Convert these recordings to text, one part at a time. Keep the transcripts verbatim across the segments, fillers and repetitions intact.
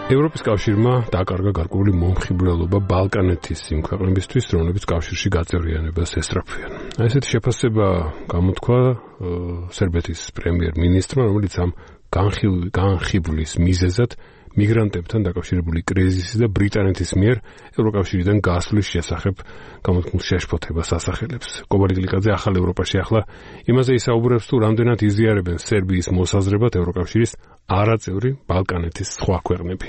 ევროპის კავშირმა დაკარგა გარკვეული მომხიბვლელობა ბალკანეთის იმ ქვეყნებისთვის, რომლებიც კავშირში გაწევრიანებას ესწრაფვიან. ესეთი შეფასება გამოთქვა სერბეთის პრემიერ-მინისტრმა, რომელიც ამ განხიბვლის მიზეზად მიგრანტებთან დაკავშირებული კრიზისი და ბრიტანეთის მიერ ევროკავშირიდან გასვლის შესახებ გამოთქმულ შეშფოთებას ასახელებს. კობალი გლიკაძე ახალ ევროპაში ახლა იმაზე ისაუბრებს, თუ რამდენად იზიარებენ სერბიის მოსაზრებად ევროკავშირის არაწევრი ბალკანეთის სხვა ქვეყნები.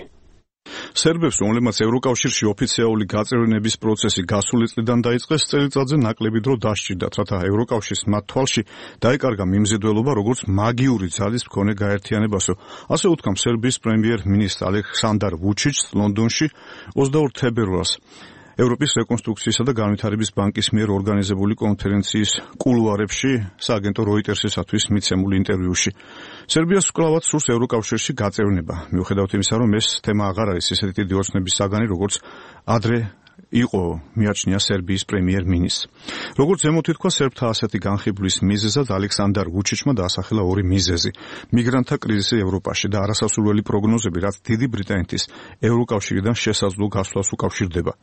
სერბებს, რომლებმაც ევროკავშირში ოფიციალური გაწევრიანების პროცესი გასული წლიდან დაიწყეს, წელიწადზე ნაკლები დრო დასჭირდათ, რათა ევროკავშირის მათ თვალში დაეკარგა მიმზიდველობა, როგორც მაგიური ძალის მქონე გაერთიანებასო. ასე უთქვამს სერბიის პრემიერ-მინისტრ ალექსანდარ ვუჩიჩს ლონდონში ოცდაორ თებერვალს. ევროპის რეკონსტრუქციისა და განვითარების ბანკის მიერ ორგანიზებული კონფერენციის კულუარებში სააგენტო როიტერსისათვის მიცემულ ინტერვიუში. სერბიას კვლავაც სურს ევროკავშირში გაწევრიანება. მიუხედავად იმისა, რომ ეს თემა აღარ არის ისეთი დიდი ოცნების საგანი, როგორც ადრე იყო მიაჩნია სერბიის პრემიერ-მინისტრს. როგორც ზემოთ ითქვა, სერბთა ასეთი განხიბვლის მიზეზად ალექსანდარ ვუჩიჩმა დაასახელა ორი მიზეზი: მიგრანტთა კრიზისი ევროპაში და არასასურველი პროგნოზები, რაც დიდი ბრიტანეთის ევროკავშირიდან შესაძლო გასვლას უკავშირდება.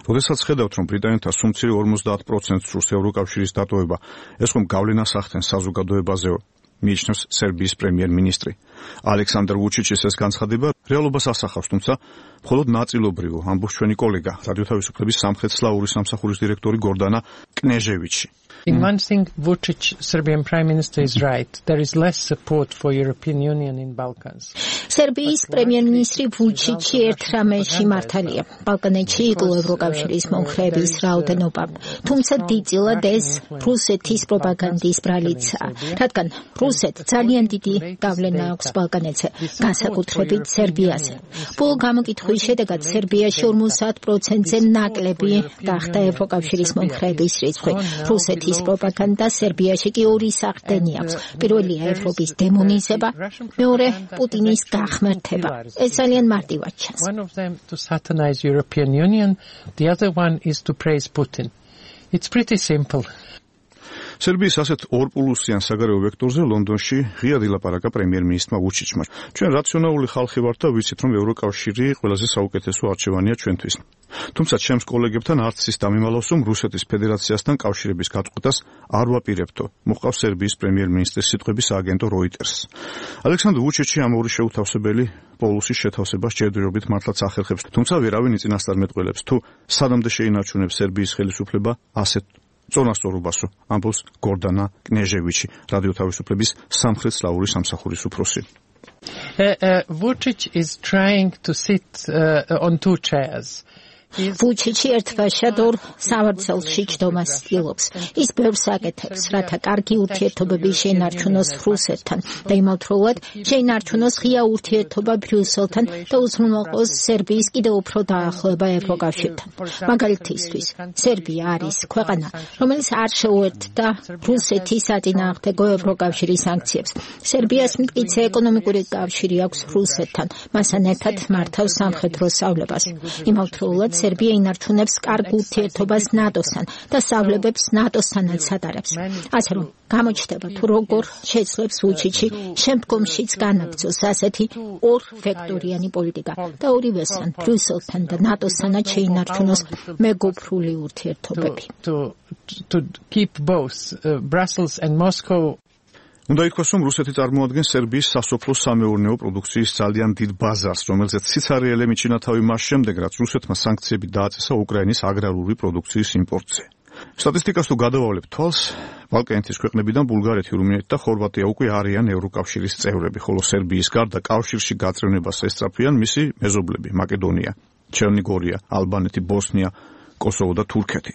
როდესაც ხედავთ, რომ ბრიტანეთთა სუმცირე ორმოცდაათ პროცენტს სურს ევროკავშირის დატოვება, ეს ხომ გავლენას ახდენს საზოგადოებაზეო, მიიჩნევს სერბიის პრემიერ-მინისტრი. ალექსანდარ ვუჩიჩის ეს განცხადება რეალობას ასახავს, თუმცა მხოლოდ ნაწილობრივ, ამბობს ჩვენი კოლეგა, რადიო თავისუფლების სამხრეთ-სლავური სამსახურის დირექტორი გორდანა კნეჟევიჩი. In one thing, Vučić, Serbian Prime Minister, is right. There is less support for European Union in Balkans. სერბიის პრემიერ-მინისტრი ვუჩიჩი ერთ რამეში მართალია. ბალკანეთში იკლო ევროკავშირის მომხრეების რაოდენობა. თუმცა დიდწილად ეს რუსეთის პროპაგანდის ბრალიცაა, რადგან რუსეთს ძალიან დიდი გავლენა აქვს ბალკანეთზე, განსაკუთრებით სერბიაზე. ბოლო გამოკითხვის შედეგად სერბიაში ორმოცდაათ პროცენტზე ნაკლები გახდა ევროკავშირის მომხრეების რიცხვი. რუსეთის პროპაგანდა სერბიაში კი ორი სახდენი აქვს. პირველია ევროპის დემონიზება, მეორე პუტინის გახმერთება. ეს ძალიან მარტივად ჩანს. One of them to satanize European Union, the other one is to praise Putin. It's pretty simple. სერბიის ასეთ ორპულუსიან საგარეო ვექტორზე ლონდონში ღია დილაპარაკა პრემიერ-მინისტრმა ვუჩიჩმა. ჩვენ რაციონალური ხალხი ვართ და ვიცით, რომ ევროკავშირი ყველაზე საუკეთესო არჩევანია ჩვენთვის. თუმცა ჩემს კოლეგებთან არც ის დამიმალავს, რომ რუსეთის ფედერაციასთან კავშირების გაწყვეტას არ ვაპირებთო, მოჰყავს სერბიის პრემიერ-მინისტრის სიტყვები სააგენტო როიტერს. ალექსანდრ ვუჩიჩი ამ ორი შეუთავსებელი პოლუსის შეთავსებას ჯერჯერობით მართლაც ახერხებს, თუმცა ვერავინ იწინასწარ მეტყველებს, თუ სანამდე შეინარჩუნებს სერბიის ხელისუფლება ასეთ წონასწორობასო, ამბობს გორდანა კნეჟევიჩი, რადიო თავისუფლების სამხრეთ-სლავური სამსახურის უფროსი. Vučić is trying to sit uh, on two chairs. ვუჩიჩი ერთბაშად ორ სავარძელში ჯდომას ცდილობს. ის ბევრს აკეთებს, რათა კარგი ურთიერთობები შეინარჩუნოს რუსეთთან და იმავდროულად შეინარჩუნოს ღია ურთიერთობა ბრიუსელთან და უზრუნველყოს სერბიის კიდევ უფრო დაახლოება ევროკავშირთან. მაგალითისთვის, სერბია არის ქვეყანა, რომელიც არ შეუერთდა რუსეთის საწინააღმდეგო ევროკავშირის სანქციებს. სერბიას მტკიცე ეკონომიკური კავშირი აქვს რუსეთთან, მასთან ერთად მართავს სამხედრო სწავლებას. იმავდროულად სერბია ინარჩუნებს კარგ ურთიერთობას ნატოსთან და სწავლებებს ნატოსთანაც ატარებს. ასე რომ, გამოჩნდება, თუ როგორ შეძლებს ვუჩიჩი შემდგომშიც განაგრძოს ასეთი ორ-ვექტორიანი პოლიტიკა და ორივესთან, ბრიუსელთან და ნატოსთანაც შეინარჩუნოს მეგობრული ურთიერთობები. To, to keep both uh, Brussels and Moscow. უნდა ითქვას, რომ რუსეთი წარმოადგენს სერბიის სასოფლო-სამეურნეო პროდუქციის ძალიან დიდ ბაზარს, რომელზეც სიცარიელე მიჩინა თავი მას შემდეგ, რაც რუსეთმა სანქციები დააწესა უკრაინის აგრარული პროდუქციის იმპორტზე. სტატისტიკას თუ გადავავლებთ თვალს, ბალკანეთის ქვეყნებიდან ბულგარეთი, რუმინეთი და ხორვატია უკვე არიან ევროკავშირის წევრები, ხოლო სერბიის გარდა კავშირში გაწევრიანებას ესწრაფვიან მისი მეზობლები: მაკედონია, ჩერნიგორია, ალბანეთი, ბოსნია, კოსოვო და თურქეთი.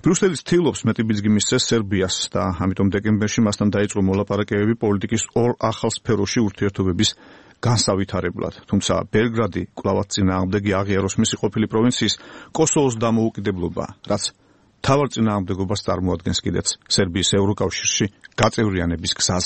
ბრიუსელი ცდილობს მეტი ბიძგი მისცეს სერბიას და ამიტომ დეკემბერში მასთან დაიწყო მოლაპარაკებები პოლიტიკის ორ ახალ სფეროში ურთიერთობების განსავითარებლად. თუმცა ბელგრადი კვლავაც წინააღმდეგი აღიაროს მისი ყოფილი პროვინციის კოსოვოს დამოუკიდებლობა, რაც მთავარ წინააღმდეგობას წარმოადგენს კიდეც სერბიის ევროკავშირში გაწევრიანების გზაზე.